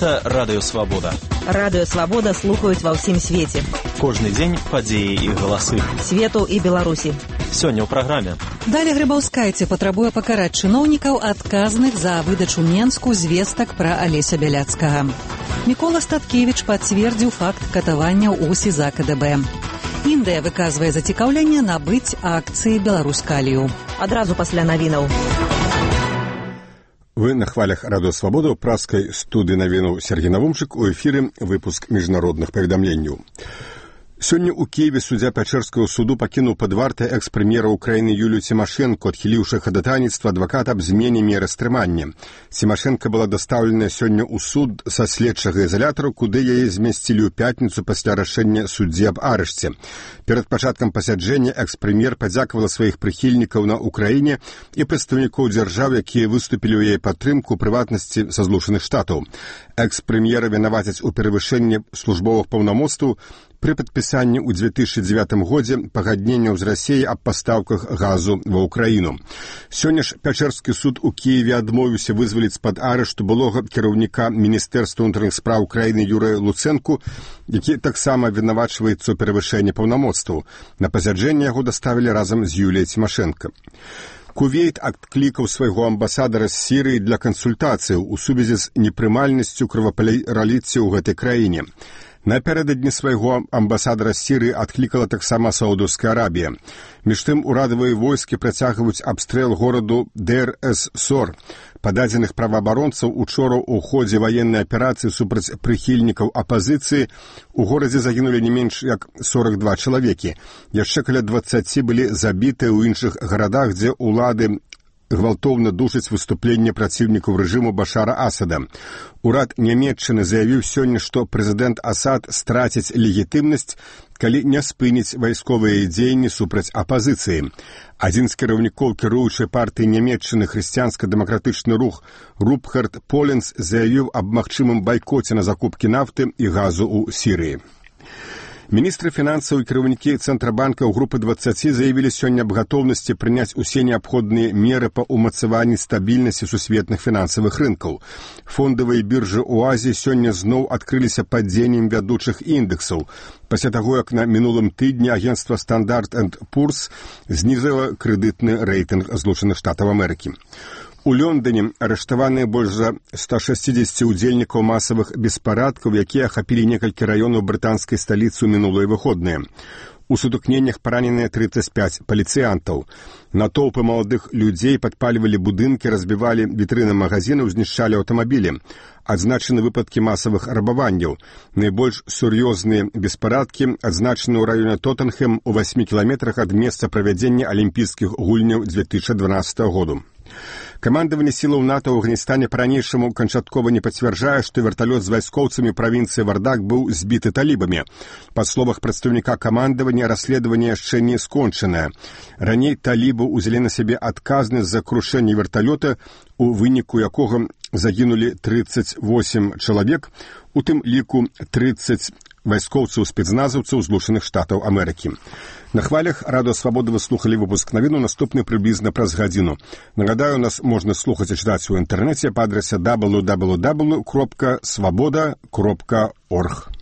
Гэта Радыё Свабода. Радыё Свабода слухаюць ва ўсім свеце. Кожны дзень падзеі і галасы. Свету і Беларусі. Сёння ў праграме. Далее Грыбаўскайце патрабуе пакараць чыноўнікаў, адказных за выдачу Менску звестак пра Алеся Бяляцкага. Мікола Статкевіч пацвердзіў факт катаванняў у СІЗА КДБ. Індыя выказвае зацікаўленне набыць акцыі Беларускалію. Адразу пасля навінаў. Вы на хвалях Радыё Свабода ў праскай студыі навінаў Сергей Навумчык, у эфіры выпуск міжнародных паведамленняў. Сёння ў Киеве суддзя Пячэрскага суду пакінуў пад вартай экс-прэм'ера Украіны Юлію Цімашэнку, адхіліўшы хадатайніцтва адваката аб змене меры стрымання. Цімашэнка была дастаўлена сёння ў суд са следчага ізалятара, куды яе змясцілі ў пятніцу пасля рашэння суддзі аб арышце. Перад пачаткам пасяджэння экс-прэм'ер падзякавала сваіх прыхільнікаў на Украіне і прадстаўнікоў дзяржаў, якія выступілі ў яе падтрымку, прыватнасці са Злучаных Штатаў. Экс-прэм'ера вінавацяць у перавышэнні службовых паўнамоцтваў пры падпісанні ў 2009 годзе пагадненняў з Расіяй аб пастаўках газу ва Ўкраіну. Сёння ж Пячэрскі суд у Кіеве адмовіўся вызваліць з-пад арышту былога кіраўніка Міністэрства ўнутраных спраў краіны Юрыя Луцэнку, які таксама вінавачваецца ў перавышэнні паўнамоцтваў. На пасяджэнне яго даставілі разам з Юліяй Цімашэнка. Кувейт адклікаў свайго амбасадара з Сірыі для кансультацыяў у сувязі з непрымальнасцю крывапраліцця ў гэтай краіне. Напярэдадні свайго амбасадара з Сірыі адклікала таксама Саудаўская Арабія. Між тым, урадавыя войскі працягваюць абстрэл гораду Дэр-эс-Сор. Па дадзеных праваабаронцаў, учора ў ходзе ваеннай аперацыі супраць прыхільнікаў апазіцыі у горадзе загінулі не менш як 42 чалавекі. Яшчэ каля 20 былі забітыя ў іншых гарадах, дзе ўлады гвалтоўна душаць выступленне праціўнікаў рэжыму Башара Асада. Урад Нямецчыны заявіў сёння, што прэзідэнт Асад страціць легітымнасць, калі не спыніць вайсковыя дзеянні супраць апазіцыі. Адзін з кіраўнікоў кіруючай партыі Нямецчыны хрысціянска-дэмакратычны рух Рупхард Поленц заявіў аб магчымым байкоце на закупкі нафты і газу ў Сірыі. Міністры фінансаў і кіраўнікі Цэнтрабанка ў групы 20 заявілі сёння аб гатоўнасці прыняць усе неабходныя меры па ўмацаванні стабільнасці сусветных фінансавых рынкаў. Фондавыя біржы ў Азіі сёння зноў адкрыліся падзеннем вядучых індэксаў. Пасля таго, як на мінулым тыдні агенцтва Standard & Poor's знізіла крэдытны рэйтынг Злучаных Штатаў Амерыкі. У Лондоне арыштаваныя больш за 160 удзельнікаў масавых беспарадкаў, якія ахапілі некалькі раёнаў брытанскай сталіцы ў минулыя выходныя. У сутыкненнях параненыя 35 паліцыянтаў. Натоўпы маладых людзей падпальвалі будынкі, разбівалі вітрыны магазінаў, знішчалі аўтамабілі. Адзначаны выпадкі масавых рабаванняў. Найбольш сур'ёзныя беспарадкі адзначаны ў раёне Тоттенхэм у 8 кіламетрах ад месца правядзення алімпійскіх гульняў 2012 году. Камандаванне сілаў НАТО ў Афганістане па-ранейшаму канчаткова не пацвярджае, што верталёт з вайскоўцамі правінцыі Вардак быў збіты талібамі. Па словах прадстаўніка камандавання, расследаванне яшчэ не скончанае. Раней талібы ўзялі на сябе адказнасць за крушэнне верталёта, у выніку якога загінулі 38 чалавек, у тым ліку 30 вайскоўцаў-спецназаўцаў Злучаных Штатаў Амерыкі. На хвалях Радыё Свабода вы слухалі выпуск навіну, наступны прыблізна праз гадзіну. Нагадаю, нас можна слухаць і чытаць у інтэрнэце па адрасе www.swaboda.org.